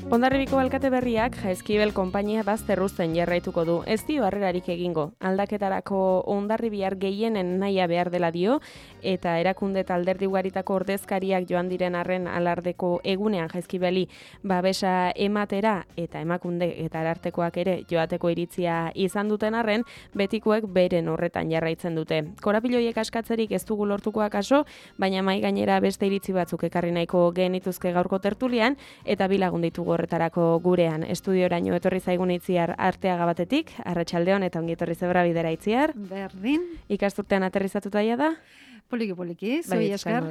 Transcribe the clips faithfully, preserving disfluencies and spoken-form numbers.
Hondarribiko alkate berriak Jaizkibel konpainia bazterruzten jarraituko du. Ez dio harrerarik egingo. Aldaketarako hondarribiar gehienen nahia behar dela dio, eta erakunde eta alderdi ugaritako ordezkariak joan diren arren alardeko egunean Jaizkibeli babesa ematera eta emakunde eta arartekoak ere joateko iritzia izan duten arren, betikoek beren horretan jarraitzen dute. Korapiloiek askatzerik ez dugu lortukoak aso, baina mai gainera beste iritzi batzuk ekarri nahiko genituzke gaurko tertulian, eta bilagun ditugu horretarako gurean. Estudioraino etorri zaigun Itziar Arteaga batetik, arratsaldeon eta ongi etorri zebra bidera Itziar. Berdin. Ikasturtean aterrizatuta ja da? Poliki poliki, zoi esker.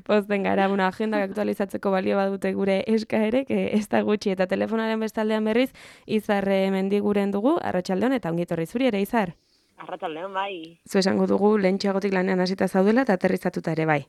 Pozten gara, bueno, agendak aktualizatzeko balio badute gure eskaerek, ez da gutxi, eta telefonaren bestaldean berriz, Izar Mendiguren dugu, arratsaldeon eta ongi etorri zuri ere, Izar. Arratsaldeon bai. Zu esango dugu lehentxeagotik lanean hasita zaudela eta aterrizatuta ere bai.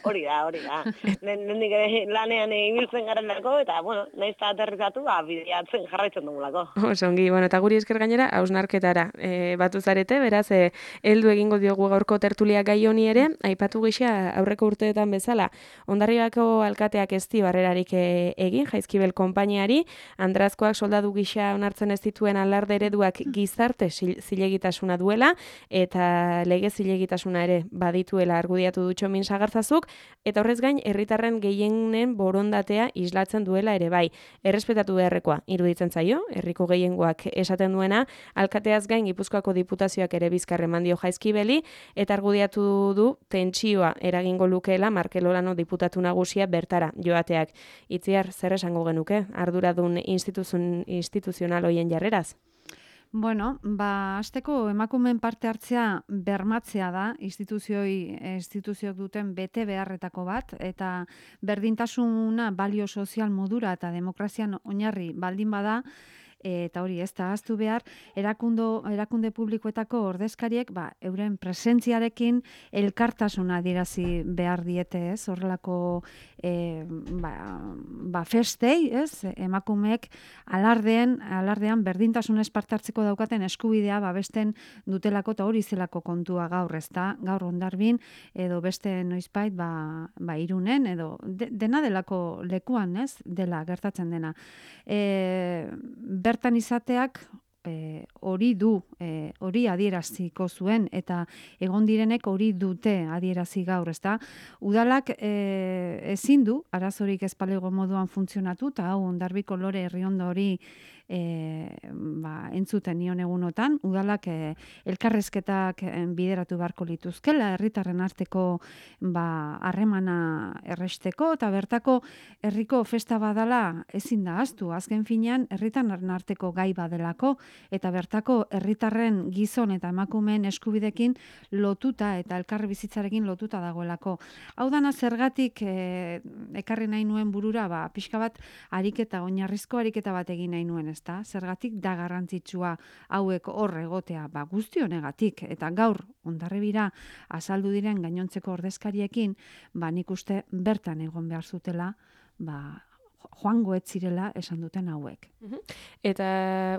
Hori da, hori da. Lehendik ere lanean ibiltzen garelako, eta, bueno, nahiz eta aterrizatu, ba, bideatzen jarraitzen dugulako. Oso ongi, bueno, eta guri esker gainera, hausnarketara e, batu zarete, beraz, e, heldu egingo diogu gaurko tertulia gai honi ere, aipatu gisa aurreko urteetan bezala, Hondarribako alkateak ez dio harrerarik e, egin, Jaizkibel konpainiari, Andrazkoak soldadu gisa onartzen ez dituen alarde ereduak gizarte zilegitasuna duela, eta lege zilegitasuna ere badituela argudiatu du Txomin Sagarzazuk, eta horrez gain, herritarren gehienen borondatea islatzen duela ere bai. Errespetatu beharrekoa, iruditzen zaio, herriko gehiengoak esaten duena, alkateaz gain Gipuzkoako diputazioak ere bizkar eman dio Jaizkibeli, eta argudiatu du tentsioa eragingo lukeela Markel Olano diputatu nagusia bertara joateak. Itziar, zer esango genuke, arduradun instituzional hoien jarreraz? Bueno, ba, hasteko emakumeen parte hartzea bermatzea da, instituzioi, instituzioak duten bete beharretako bat, eta berdintasuna balio sozial modura eta demokrazian oinarri baldin bada, eta hori ez da ahaztu behar, erakundo, erakunde publikoetako ordezkariek ba, euren presentziarekin elkartasuna adierazi behar diete, ez? Horrelako e, ba, ba, festei, ez? Emakumeek alardean, alardean berdintasunez parte hartzeko daukaten eskubidea babesten dutelako eta hori zelako kontua gaur, ez da? Gaur Hondarbin edo beste noizbait ba, ba Irunen edo de, dena delako lekuan, ez? Dela gertatzen dena. E, bertan izateak e, hori du, e, hori adieraziko zuen, eta egon direnek hori dute adierazi gaur, ezta? Udalak e, ezin du, arazorik ez palego moduan funtzionatu, eta hau Hondarbiko lore herriondo hori E, ba, entzuten nion egunotan, udalak e, elkarrezketak bideratu beharko lituzkela, herritarren arteko ba, harremana erresteko, eta bertako herriko festa badala ezin da ahaztu, azken finean herritarren arteko gai badelako, eta bertako herritarren gizon eta emakumeen eskubidekin lotuta eta elkarri bizitzarekin lotuta dagoelako. Hau dana zergatik e, ekarri nahi nuen burura, ba, pixka bat ariketa, oinarrizko ariketa bat egin nahi nuen, ez da? Zergatik da garrantzitsua hauek hor egotea, ba, guzti honegatik, eta gaur Hondarribira azaldu diren gainontzeko ordezkariekin, ba, nik uste bertan egon behar zutela, ba, joango ez zirela esan duten hauek. Eta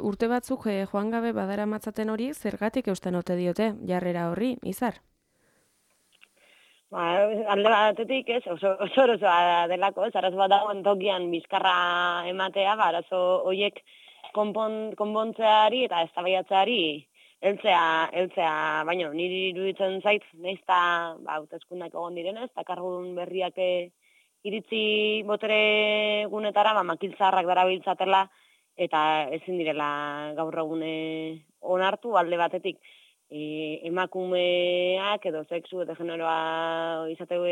urte batzuk eh, joan gabe badara matzaten hori, zergatik eusten ote diote jarrera horri, Izar? Ba, alde batetik, ez, oso oso osoa delako, ez, arazo bat dagoen tokian bizkarra ematea, ba, arazo horiek konpon, konpontzeari eta eztabaidatzeari heltzea, heltzea, baina niri iruditzen zait, nahiz eta ba, hauteskundeak egon direnez, eta kargudun berriak iritzi botere gunetara, ba, makiltzarrak darabiltzatela, eta ezin direla gaur egune onartu alde batetik. E, emakumeak edo sexu eta generoa izateu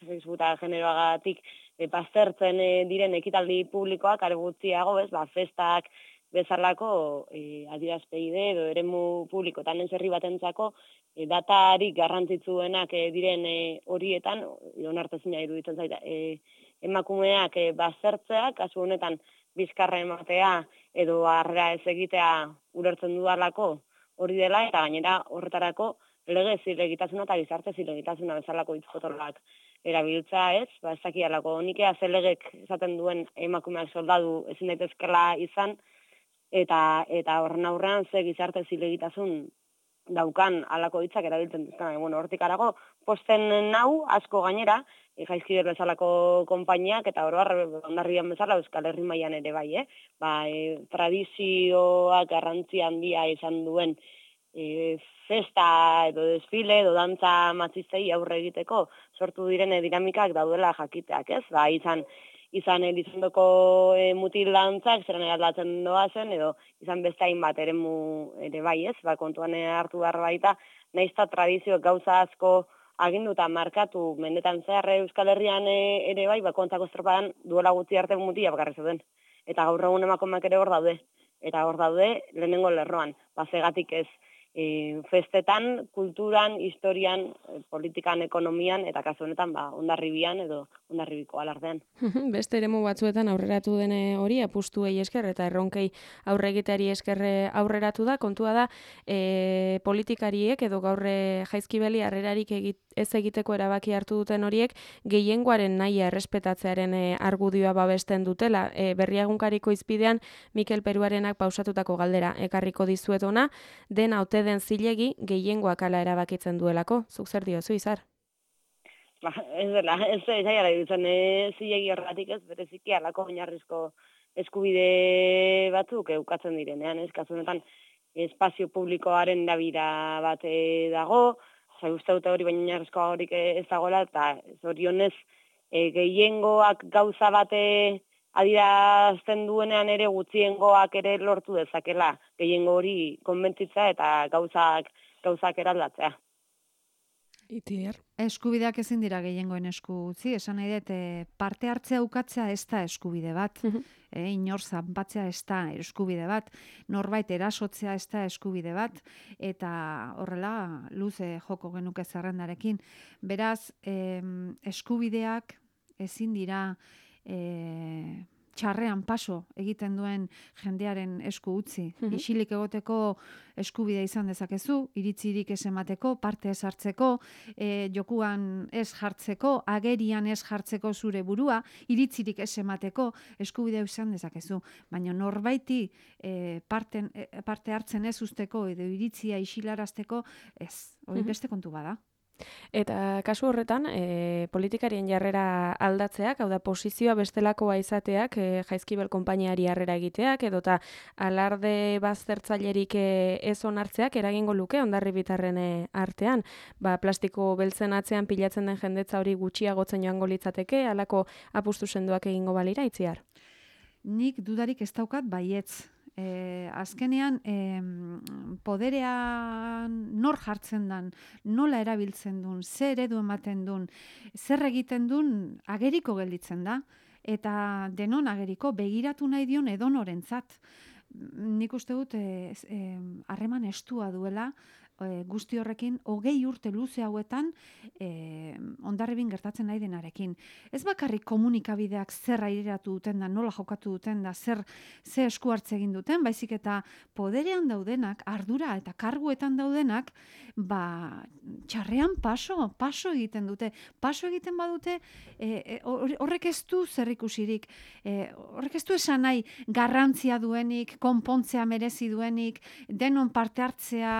sexu eta generoagatik e, baztertzen e, diren ekitaldi publikoak are gutxiago, ez, ba, festak bezalako e, adierazpeide edo eremu publikotan ez herri batentzako e, datarik garrantzitsuenak e, diren e, horietan onartezina iruditzen zaita. E, emakumeak e, baztertzea, kasu honetan bizkarra ematea edo harrera ez egitea ulertzen dudalako hori dela, eta gainera horretarako lege zilegitasuna eta gizarte zilegitasuna bezalako hitz-potoloak erabiltza, ez? Ba, ez dakialako, nik ea ze legek esaten duen emakumeak soldadu ezin daitezkela izan, eta eta horren aurrean ze gizarte zilegitasun daukan alako hitzak erabiltzen duzkan. Bueno, hortik arago, posten nau, asko gainera, e, Jaizkibel bezalako konpainiak, eta oro har Hondarribian bezala Euskal Herri mailan ere bai, eh? Ba, e, tradizioak garrantzi handia izan duen e, festa edo desfile edo dantza matxistei aurre egiteko sortu diren dinamikak daudela jakiteak, ez? Ba, izan izan Elizondoko e, mutil dantzak zeran aldatzen doazen, edo izan beste hainbat eremu ere bai, ez? Ba, kontuan hartu behar baita, naizta tradizioak gauza asko aginduta markatu mendetan zehar Euskal Herrian e, ere bai, ba, kontzako estropadan duela gutxi arte mutila bakarri zeuden. Eta gaur egun emakumeak ere hor daude. Eta hor daude lehenengo lerroan. Ba, zegatik ez e, festetan, kulturan, historian, e, politikan, ekonomian, eta kasu honetan, ba, Hondarribian edo Hondarribiko alardean. Beste eremu batzuetan aurreratu dene hori apustuei esker eta erronkei aurre egiteari esker aurreratu da. Kontua da e, politikariek edo gaur Jaizkibeli harrerarik egit, ez egiteko erabaki hartu duten horiek gehiengoaren nahia errespetatzearen e, argudioa babesten dutela. E, Berriagunkariko izpidean Mikel Peruarenak pausatutako galdera ekarriko dizuet ona, dena ote den zilegi gehiengoak ala erabakitzen duelako. Zuk zer diozu, Izar? Ba, ez dela, ez zaiara dutzen, ez zilegi horretik ez, bereziki alako oinarrizko eskubide batzuk eukatzen direnean, ez, kasu honetan espazio publikoaren dabira bat dago, zai uste dute hori baina oinarrizko horik ez dagoela, eta zorionez e, gehiengoak gauza bate adierazten duenean ere gutxiengoak ere lortu dezakela, gehiengo hori konbentzitza eta gauzak, gauzak eraldatzea. Itier. Eskubideak ezin dira gehiengoen esku utzi, esan nahi dut, parte hartzea ukatzea ez da eskubide bat, uh -huh. e, inor zanpatzea ez da eskubide bat, norbait erasotzea ez da eskubide bat, eta horrela luze joko genuke zerrendarekin. Beraz, eh, eskubideak ezin dira eh, txarrean paso egiten duen jendearen esku utzi. Uh -huh. Isilik egoteko eskubidea izan dezakezu, iritzirik ez emateko, parte ez hartzeko, e, jokuan ez jartzeko, agerian ez jartzeko zure burua, iritzirik ez emateko eskubidea izan dezakezu. Baina norbaiti e, parte, e, parte hartzen ez usteko edo iritzia isilarazteko ez, hori beste kontu bada. Eta kasu horretan, e, politikarien jarrera aldatzeak, hau da posizioa bestelakoa izateak, e, Jaizkibel konpainiari harrera egiteak, edota alarde baztertzailerik e, ez onartzeak eragingo luke Hondarribitarren e, artean. Ba, plastiko beltzen atzean pilatzen den jendetza hori gutxiagotzen joango litzateke, halako apustu sendoak egingo balira, Itziar? Nik dudarik ez daukat baietz. Eh, azkenean eh, poderean nor jartzen dan, nola erabiltzen duen, zer eredu ematen duen, zer egiten duen ageriko gelditzen da, eta denon ageriko begiratu nahi dion edonorentzat. Nik uste dut harreman eh, eh, estua duela, E, guzti horrekin, hogei urte luze hauetan e, Hondarribin gertatzen nahi denarekin. Ez bakarrik komunikabideak zer aireratu duten da, nola jokatu duten da, zer ze esku hartze egin duten, baizik eta poderean daudenak, ardura eta karguetan daudenak, ba, txarrean paso, paso egiten dute. Paso egiten badute, e, e, horrek ez du zer ikusirik, e, horrek ez du esan nahi garrantzia duenik, konpontzea merezi duenik, denon parte hartzea,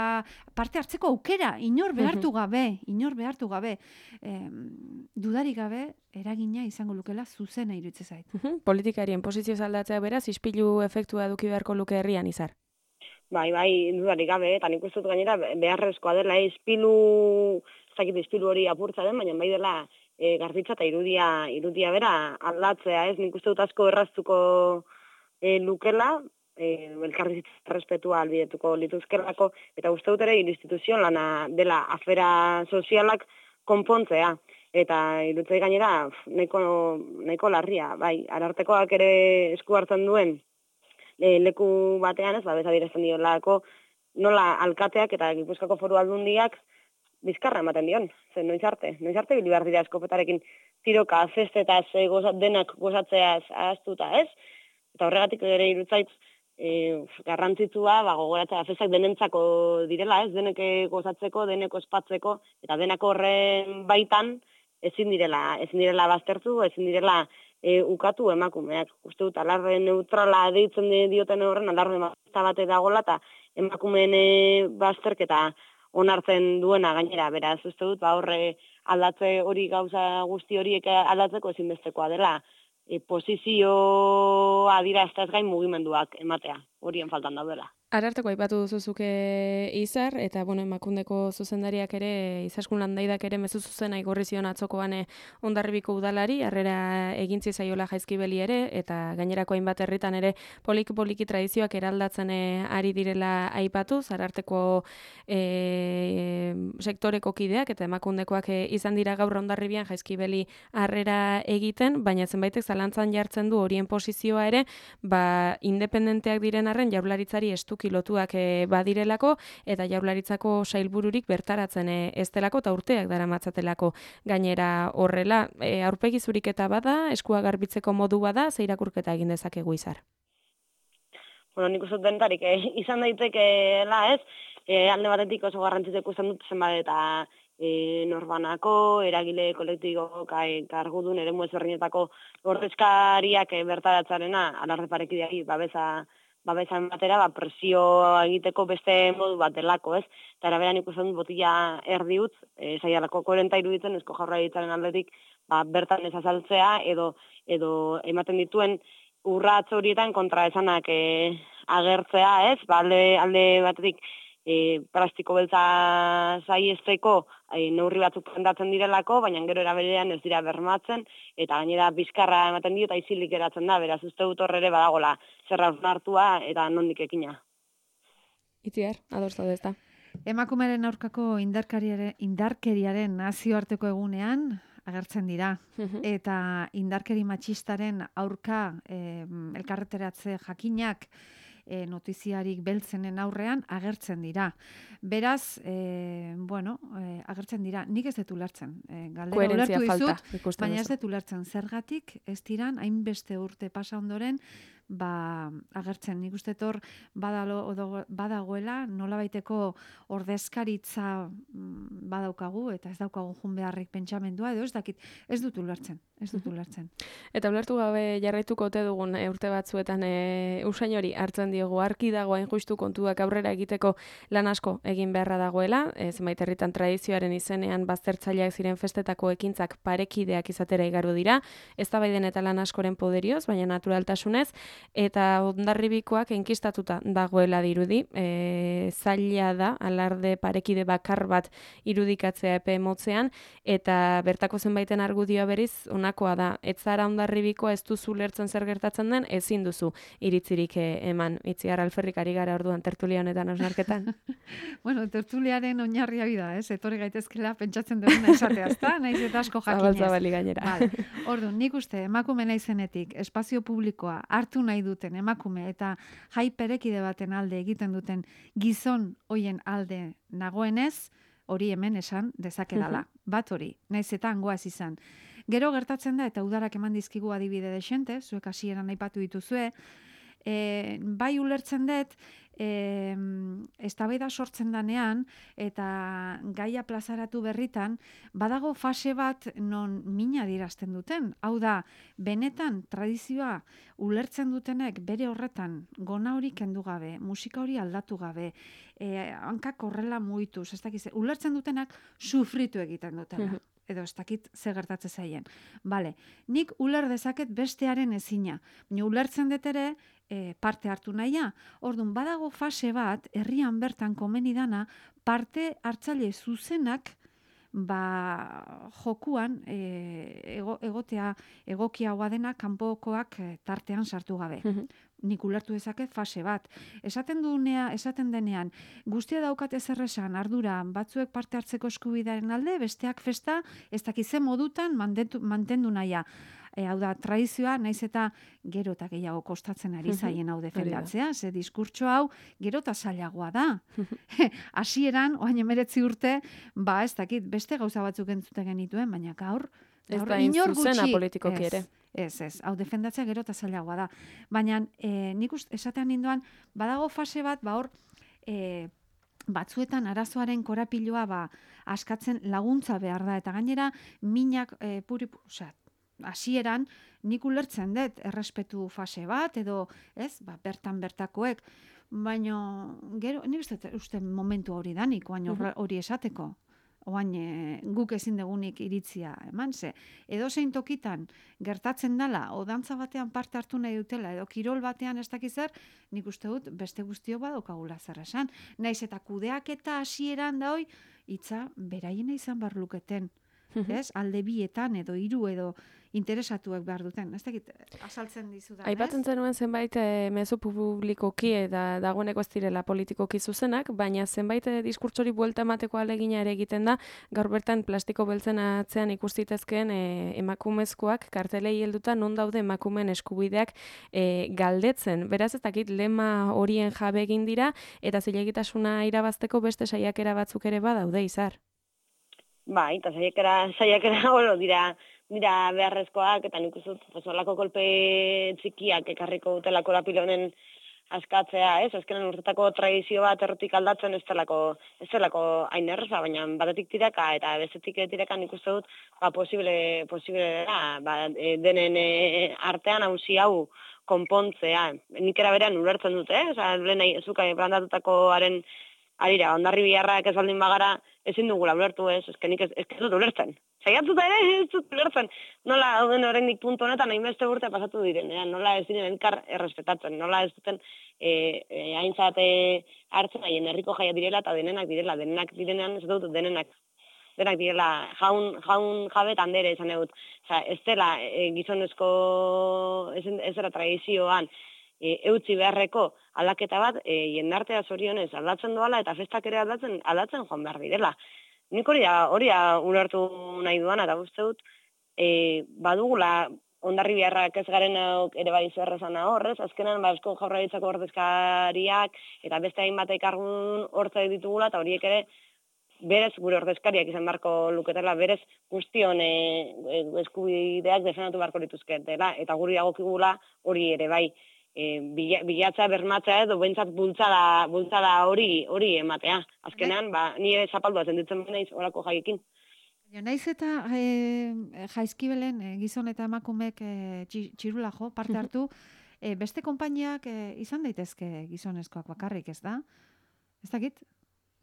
parte hartzeko aukera, inor behartu gabe, inor behartu gabe, eh, dudarik gabe, eragina izango lukela zuzena iruditzen zait. Politikarien posizio aldatzea beraz, ispilu efektua eduki beharko luke herrian, Izar? Bai, bai, dudarik gabe, eta nik uste dut gainera beharrezkoa dela, ispilu, ez dakit ispilu hori apurtza den, baina bai dela e, garbitza eta irudia, irudia bera aldatzea, ez, nik uste dut asko erraztuko e, lukela, E, elkarrizitza respetua albidetuko lituzkelako, eta uste dut ere instituzio lana dela afera sozialak konpontzea. Eta irutzei gainera nahiko, nahiko larria, bai, arartekoak ere esku hartzen duen e, leku batean ez, ba, bezadirazten diolako, nola alkateak eta Gipuzkoako Foru Aldundiak bizkarra ematen dion, zen noiz arte, noiz arte bilibar dira eskopetarekin tiroka, festetaz, e, goza, denak gozatzeaz ahaztuta, ez? Eta horregatik ere irutzait, E, garrantzitsua, ba, gogoratzea, festak denentzako direla, ez, denek gozatzeko, deneko espatzeko, eta denako horren baitan ezin direla, ezin direla baztertu, ezin direla e, ukatu emakumeak. Uste dut, alarre neutrala deitzen dioten horren, alarre mazta bate dagoela, eta emakumeen e, bazterketa onartzen duena gainera, beraz, uste dut, ba, horre aldatze hori gauza guzti horiek aldatzeko ezinbestekoa dela, e, posizioa dira ez gain mugimenduak ematea, horien faltan daudela. Ararteko aipatu duzuzuke Izar, eta bueno, Emakundeko zuzendariak ere, Izaskun Landaidak ere mezu zuzena igorri zion atzokoan Hondarribiko udalari, harrera egintzi zaiola Jaizkibeli ere, eta gainerako hainbat herritan ere poliki-poliki tradizioak eraldatzen ari direla aipatu, Ararteko e, sektoreko kideak eta Emakundekoak e, izan dira gaur Hondarribian Jaizkibeli harrera egiten, baina zenbaitek zalantzan jartzen du horien posizioa ere, ba, independenteak diren arren Jaurlaritzari estu kilotuak e, badirelako, eta Jaurlaritzako sailbururik bertaratzen e, ez delako, eta urteak daramatzatelako gainera horrela. E, aurpegi zuriketa bada, eskua garbitzeko modu bada, ze irakurketa egin dezakegu Izar? Bueno, nik uste dentarik, e, izan daitekeela ez, e, alde batetik oso garrantzitseko izan dut zenbat eta e, norbanako, eragile kolektibo, kargudun, eremu ezberdinetako ordezkariak e, bertaratzarena, alarde parekideari babesa babesa batera, ba, presioa egiteko beste modu bat delako, ez? Eta eraberan ikusten dut botila erdi utz, e, saialako koherenta iruditzen, Eusko Jaurlaritzaren aldetik, ba, bertan ez azaltzea, edo, edo ematen dituen urratz horietan kontra esanak e, agertzea, ez? Ba, alde, alde batetik e, plastiko beltza saiesteko e, neurri batzuk prendatzen direlako, baina gero eraberean ez dira bermatzen, eta gainera bizkarra ematen dio eta isilik geratzen da, beraz uste dut horre ere badagola zerra hartua eta nondik ekina. Itziar, ados daude ezta. Emakumeren aurkako indarkeriaren, indarkeriaren nazioarteko egunean agertzen dira. Eta indarkeri matxistaren aurka eh, elkarreteratze jakinak E, notiziarik beltzenen aurrean agertzen dira. Beraz, e, bueno, e, agertzen dira, nik ez dut ulertzen. E, galdera ulertu dizut, baina ez dut ulertzen. Zergatik ez diran, hainbeste urte pasa ondoren, ba, agertzen. Nik uste tor badalo, badagoela, nola baiteko ordezkaritza badaukagu, eta ez daukagu jun beharrik pentsamendua, edo ez dakit, ez dut ulertzen. Ez dut ulertzen. Eta ulertu gabe jarraituko ote dugun e, urte batzuetan e, usain hori hartzen diogu, arki dagoen justu kontuak aurrera egiteko lan asko egin beharra dagoela, e, zenbait herritan tradizioaren izenean baztertzaileak ziren festetako ekintzak parekideak izatera igaru dira, eztabaiden eta lan askoren poderioz, baina naturaltasunez, eta Hondarribikoak enkistatuta dagoela dirudi, e, zaila da, alarde parekide bakar bat irudikatzea epe motzean, eta bertako zenbaiten argudioa beriz, honakoa da, ez zara Hondarribikoa ez duzu lertzen zer gertatzen den, ezin duzu iritzirik eman. Itziar Alferrik ari gara orduan tertulia honetan osnarketan. Bueno, tertuliaren oinarria bida, ez? Etorri gaitezkela pentsatzen duguna esatea, ezta? Naiz eta asko jakinez. Zabaltzabali gainera. Vale. Orduan, nik uste emakume naizenetik espazio publikoa hartu nahi duten emakume eta jai perekide baten alde egiten duten gizon hoien alde nagoenez, hori hemen esan dezakedala. Bat hori, naiz eta hangoaz izan. Gero gertatzen da, eta udarak eman dizkigu adibide desente, zuek hasieran aipatu dituzue, e, bai ulertzen dut, e, eztabaida sortzen danean, eta gaia plazaratu berritan, badago fase bat non mina adierazten duten. Hau da, benetan tradizioa ulertzen dutenek bere horretan gona hori kendu gabe, musika hori aldatu gabe, e, hankak horrela muituz, ez dakiz, ulertzen dutenak sufritu egiten dutela. Edo ez dakit ze gertatze zaien. Bale, nik uler dezaket bestearen ezina. Baina ulertzen dut ere e, parte hartu nahia. Orduan, badago fase bat, herrian bertan komeni dana, parte hartzaile zuzenak ba, jokuan e, ego, egotea egokiagoa dena kanpokoak e, tartean sartu gabe. Nik ulertu dezaket fase bat. Esaten dunea, esaten denean, guztia daukate zer esan, ardura, batzuek parte hartzeko eskubidaren alde, besteak festa, ez dakize modutan mantendu, mantendu nahia. E, hau da, tradizioa, naiz eta gero eta gehiago kostatzen ari zaien hau defendatzea, ze diskurtso hau gero eta zailagoa da. Hasieran, oain emeretzi urte, ba ez dakit, beste gauza batzuk entzuten genituen, baina gaur, ez da inor zuzena politikoki ere. Ez, ez, hau defendatzea gero eta zailagoa da. Baina e, nik uste, esatean ninduan, badago fase bat, ba hor, e, batzuetan arazoaren korapiloa ba, askatzen laguntza behar da, eta gainera minak, e, puri, osea, hasieran nik ulertzen dut errespetu fase bat edo, ez, ba, bertan bertakoek, baina gero ni uste uste momentu hori danik, baina hori esateko. Oain e, guk ezin dugunik iritzia eman ze. Edo zein tokitan gertatzen dela, o dantza batean parte hartu nahi dutela, edo kirol batean ez dakiz zer, nik uste dut beste guztio badokagula zer esan. Naiz eta kudeak eta hasieran da hoi, hitza beraiena izan bar luketen. Ez? Alde bietan edo hiru edo interesatuak behar duten. Ez dakit, azaltzen dizudan, ez? Aipatzen zenuen zenbait e, mezu publikoki eta dagoeneko ez direla politikoki zuzenak, baina zenbait e, diskurtsori buelta emateko alegina ere egiten da, gaur bertan plastiko beltzen atzean ikustitezkeen e, emakumezkoak kartelei helduta non daude emakumeen eskubideak e, galdetzen. Beraz ez dakit lema horien jabe egin dira eta zilegitasuna irabazteko beste saiakera batzuk ere badaude, Izar. Bai, eta saiakera, saiakera oro dira, dira beharrezkoak, eta nik uste dut olako kolpe txikiak ekarriko dutelako lapilonen askatzea, ez? Azkenan urtetako tradizio bat errotik aldatzen ez delako, ez delako hain erraza, baina batetik tiraka eta bestetik tiraka nik uste dut ba, posible, posible da, ba, denen artean hausi hau konpontzea. Nik era berean ulertzen dute, eh? Osa, lehen zuka plantatutakoaren arira, ondarri biharrak ez baldin bagara, ezin dugula ulertu ez, ezken nik ez, ez dut ulertzen. Zaiatuta ere ez dut ulertzen. Nola dauden horrendik puntu honetan hainbeste urte pasatu diren, eh? Nola ez diren elkar errespetatzen, nola ez duten e, e, haintzat hartzen haien herriko jaia direla eta denenak direla, denenak direnean ez dut denenak. Denak direla jaun, jaun jabe tandere esan egut. Osa, ez dela e, gizonezko, ez, ez dela tradizioan, E, eutzi beharreko aldaketa bat e, jendartea zorionez aldatzen doala eta festak ere aldatzen aldatzen joan behar direla. Nik hori da, hori da ulertu nahi duana, eta uste dut e, badugula ondarri biharrak ez garen ere bai zerrezan horrez, azkenan ba, Eusko Jaurlaritzako ordezkariak eta beste hainbat ekargun hortza ditugula, eta horiek ere berez gure ordezkariak izan beharko luketela, berez guztion e, eskubideak defendatu beharko lituzketela, eta guri dagokigula hori ere bai. E, bilatza bermatzea edo bentsat bultzada, bultzada hori hori ematea. Azkenean, ba, nire zapaldua zenditzen naiz horako jaiekin. Naiz eta e, jaizkibelen e, gizon eta emakumek e, txirula jo, parte hartu, e, beste konpainiak e, izan daitezke gizonezkoak bakarrik, ez da? Ez dakit?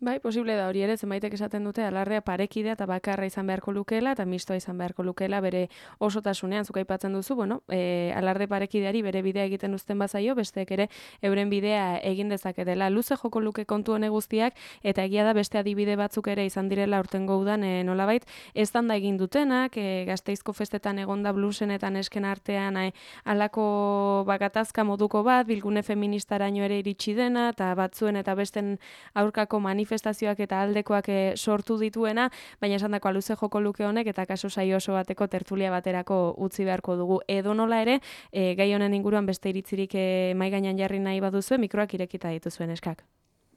Bai, posible da hori ere, zenbaitek esaten dute alardea parekidea eta bakarra izan beharko lukeela eta mistoa izan beharko lukeela bere osotasunean, zuk aipatzen duzu, bueno, e, alarde parekideari bere bidea egiten uzten bazaio, besteek ere euren bidea egin dezaketela. Luze joko luke kontu hone guztiak eta egia da beste adibide batzuk ere izan direla urtengo udan e, nolabait, eztanda egin dutenak, e, Gasteizko festetan egonda bluesen eta nesken artean e, alako bakatazka moduko bat, bilgune feministaraino ere iritsi dena eta batzuen eta besten aurkako manifestazioa manifestazioak eta aldekoak e, sortu dituena, baina esandako luze joko luke honek eta kaso saio oso bateko tertulia baterako utzi beharko dugu. Edo nola ere, e, gai honen inguruan beste iritzirik e, mai gainean jarri nahi baduzue, mikroak irekita dituzuen eskak.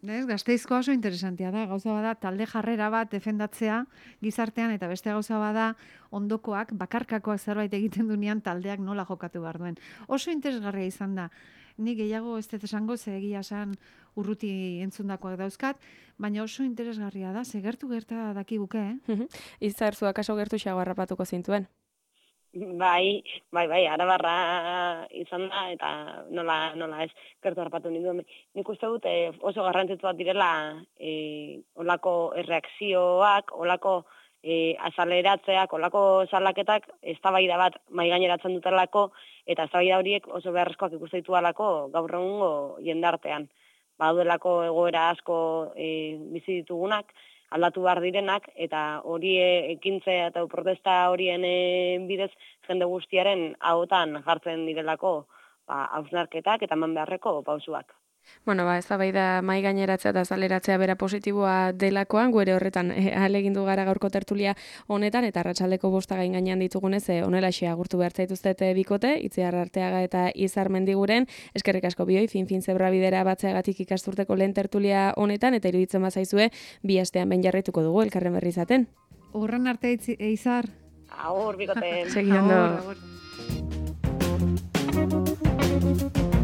Ez, Gasteizko oso interesantea da, gauza bada talde jarrera bat defendatzea gizartean eta beste gauza bada ondokoak, bakarkakoak zerbait egiten dunean taldeak nola jokatu behar duen. Oso interesgarria izan da. Ni gehiago ez dut esango, ze egia esan urruti entzundakoak dauzkat, baina oso interesgarria da, ze gertu gerta dakiguke, eh? Izar, zu akaso gertu xago harrapatuko zintuen? Bai, bai, bai, arabarra izan da, eta nola, nola ez gertu harrapatu ninduen. Nik uste dut eh, oso garrantzitsuak direla eh, olako erreakzioak, olako E, azaleratzeak, olako salaketak eztabaida bat mai gaineratzen dutelako eta eztabaida horiek oso beharrezkoak ikusten ditualako gaur egungo jendartean. Baudelako egoera asko e, bizi ditugunak, aldatu behar direnak eta hori ekintzea eta protesta horien e, bidez jende guztiaren ahotan jartzen direlako ba, hausnarketak eta eman beharreko pausuak. Bueno, ba, ez da bai da mai gaineratzea eta azaleratzea bera positiboa delakoan, guere horretan e, ahalegindu gara gaurko tertulia honetan, eta arratsaldeko bosta gain gainean ditugunez, e, onelaxe agurtu behar zaituztete bikote, Itziar Arteaga eta Izar Mendiguren, eskerrik asko bioi, fin-fin zebra bidera batzeagatik ikasturteko lehen tertulia honetan, eta iruditzen bazaizue, bi astean ben jarraituko dugu, elkarren berri izaten. Urren arte, Izar. Agur, bikote. Segi ondo. Agur, agur.